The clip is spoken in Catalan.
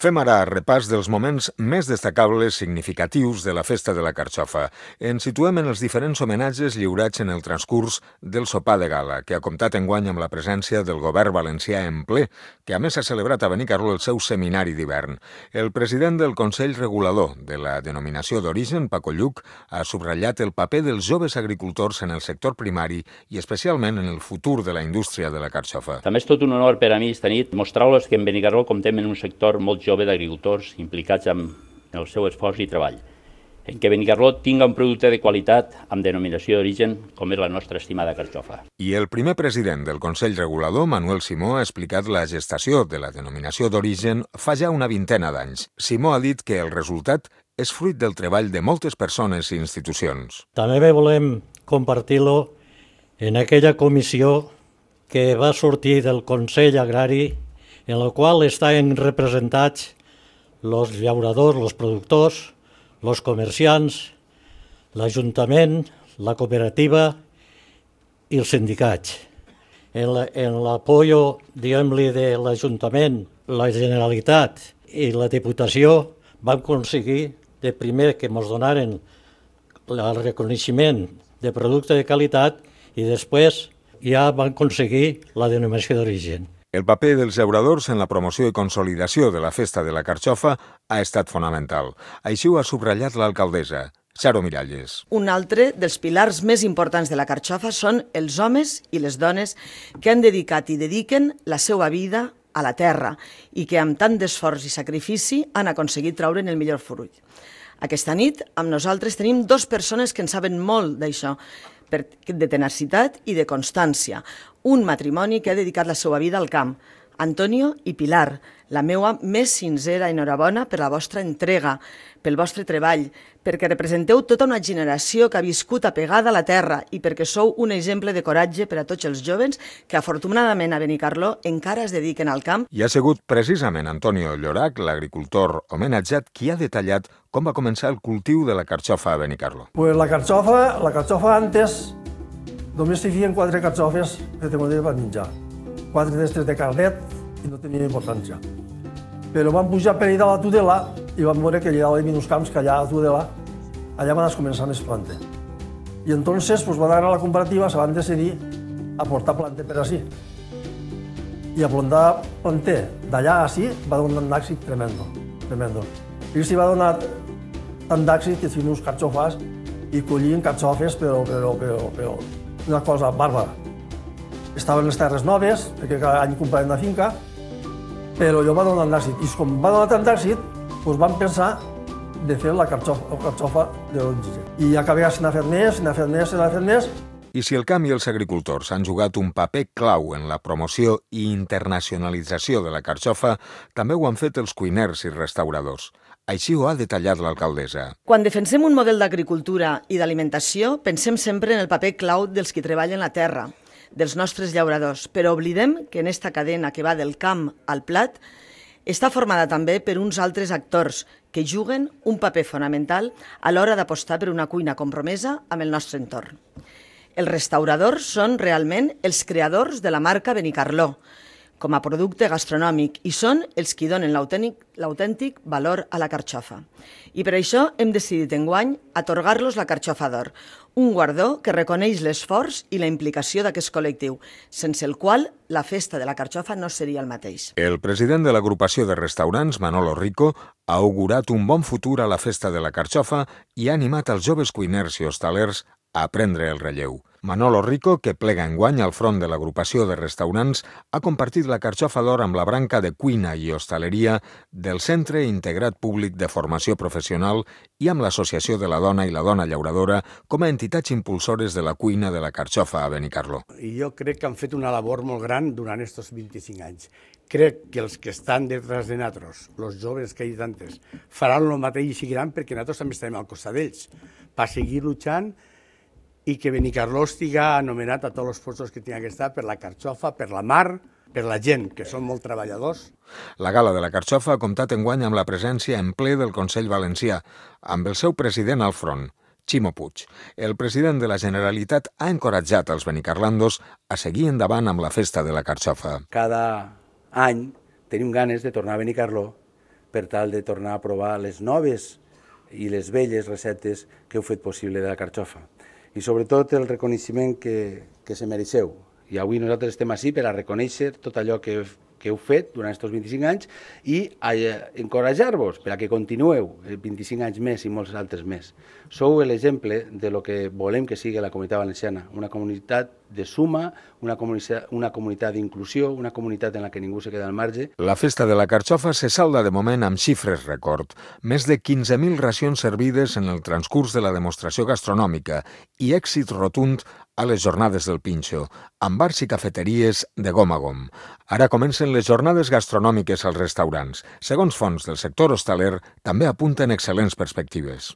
Fem ara repàs dels moments més destacables significatius de la Festa de la Carxofa. Ens situem en els diferents homenatges lliurats en el transcurs del sopar de gala, que ha comptat enguany amb la presència del govern valencià en ple, que a més ha celebrat a Benicarló el seu seminari d'hivern. El president del Consell Regulador de la denominació d'origen, Paco Lluch, ha subratllat el paper dels joves agricultors en el sector primari i especialment en el futur de la indústria de la carxofa. També és tot un honor per a mi esta nit mostrar-los que en Benicarló comptem en un sector molt jove d'agricultors implicats en el seu esforç i treball, en què Benicarló tinga un producte de qualitat amb denominació d'origen com és la nostra estimada carxofa. I el primer president del Consell Regulador, Manuel Simó, ha explicat la gestació de la denominació d'origen fa ja una vintena d'anys. Simó ha dit que el resultat és fruit del treball de moltes persones i institucions. També volem compartir-lo en aquella comissió que va sortir del Consell Agrari, en la qual estan representats els llauradors, els productors, els comerciants, l'Ajuntament, la cooperativa i els sindicats. En l'apoyo, diguem-li, de l'Ajuntament, la Generalitat i la Diputació vam aconseguir de primer que ens donaren el reconeixement de producte de qualitat i després ja vam aconseguir la denominació d'origen. El paper dels llauradors en la promoció i consolidació de la Festa de la Carxofa ha estat fonamental. Així ho ha subratllat l'alcaldessa, Charo Miralles. Un altre dels pilars més importants de la carxofa són els homes i les dones que han dedicat i dediquen la seva vida a la terra i que amb tant d'esforç i sacrifici han aconseguit treure'n el millor fruit. Aquesta nit amb nosaltres tenim dues persones que en saben molt d'això, de tenacitat i de constància. Un matrimoni que ha dedicat la seva vida al camp, Antonio i Pilar. La meua més sincera enhorabona per la vostra entrega, pel vostre treball, perquè representeu tota una generació que ha viscut apegada a la terra i perquè sou un exemple de coratge per a tots els joves que afortunadament a Benicarló encara es dediquen al camp. I ha sigut precisament Antonio Llorach, l'agricultor homenatjat, qui ha detallat com va començar el cultiu de la carxofa a Benicarló. Pues la carxofa antes només s'hi feien 4 carxofes que tenien per menjar. 4 d'estes de carnet i no tenien importància. Però vam pujar per allà a la Tudela i vam veure que allà hi havia uns camps que allà a la Tudela, allà van començar més planta. I entonces pues, van anar a la comparativa, se van decidir a portar planta per ací. I a plantar planter d'allà a ací va donar un èxit tremendo. I s'hi va donar tant d'èxit que fem uns carxofes i collien carxofes, però una cosa bàrbara. Estaven les terres noves, perquè cada any compraven una finca, però allò va donar d'èxit. I com va donar tant d'èxit, doncs vam pensar de fer la carxofa de l'origen. I acabem s'ha fet més. I si el camp i els agricultors han jugat un paper clau en la promoció i internacionalització de la carxofa, també ho han fet els cuiners i restauradors. Així ho ha detallat l'alcaldessa. Quan defensem un model d'agricultura i d'alimentació, pensem sempre en el paper clau dels qui treballen la terra, dels nostres llauradors, però oblidem que en esta cadena que va del camp al plat està formada també per uns altres actors que juguen un paper fonamental a l'hora d'apostar per una cuina compromesa amb el nostre entorn. Els restauradors són realment els creadors de la marca Benicarló com a producte gastronòmic i són els qui donen l'autèntic valor a la carxofa. I per això hem decidit enguany atorgar-los la Carxofa d'Or, un guardó que reconeix l'esforç i la implicació d'aquest col·lectiu, sense el qual la festa de la carxofa no seria el mateix. El president de l'agrupació de restaurants, Manolo Rico, ha augurat un bon futur a la festa de la carxofa i ha animat els joves cuiners i hostalers a prendre el relleu. Manolo Rico, que plega enguany al front de l'agrupació de restaurants, ha compartit la Carxofa d'Or amb la branca de cuina i hostaleria del Centre Integrat Públic de Formació Professional i amb l'Associació de la Dona i la Dona Llauradora com a entitats impulsores de la cuina de la carxofa a Benicarló. I jo crec que han fet una labor molt gran durant aquests 25 anys. Crec que els que estan detrás de nosaltres, els joves que hi ha tantes, faran el mateix i seguiran perquè nosaltres també estarem al costat d'ells per seguir lluitant i que Benicarló estiga anomenat a tots els puestos que tingui que estar per la carxofa, per la mar, per la gent, que són molt treballadors. La gala de la carxofa ha comptat enguany amb la presència en ple del Consell Valencià, amb el seu president al front, Ximo Puig. El president de la Generalitat ha encoratjat els benicarlandos a seguir endavant amb la festa de la carxofa. Cada any tenim ganes de tornar a Benicarló per tal de tornar a provar les noves i les velles receptes que heu fet possible de la carxofa. I sobretot el reconeixement que se mereixeu. I avui nosaltres estem així per a reconèixer tot allò que heu fet durant aquests 25 anys i encoratjar-vos per a que continueu 25 anys més i molts altres més. Sou l'exemple de lo que volem que sigui la Comunitat Valenciana, una comunitat de suma, una comunitat d'inclusió, una comunitat en la que ningú se queda al marge. La festa de la carxofa se salda de moment amb xifres rècord. Més de 15.000 racions servides en el transcurs de la demostració gastronòmica i èxit rotund a les jornades del Pinxo, amb bars i cafeteries de gom a gom. Ara comencen les jornades gastronòmiques als restaurants. Segons fonts del sector hostaler, també apunten excel·lents perspectives.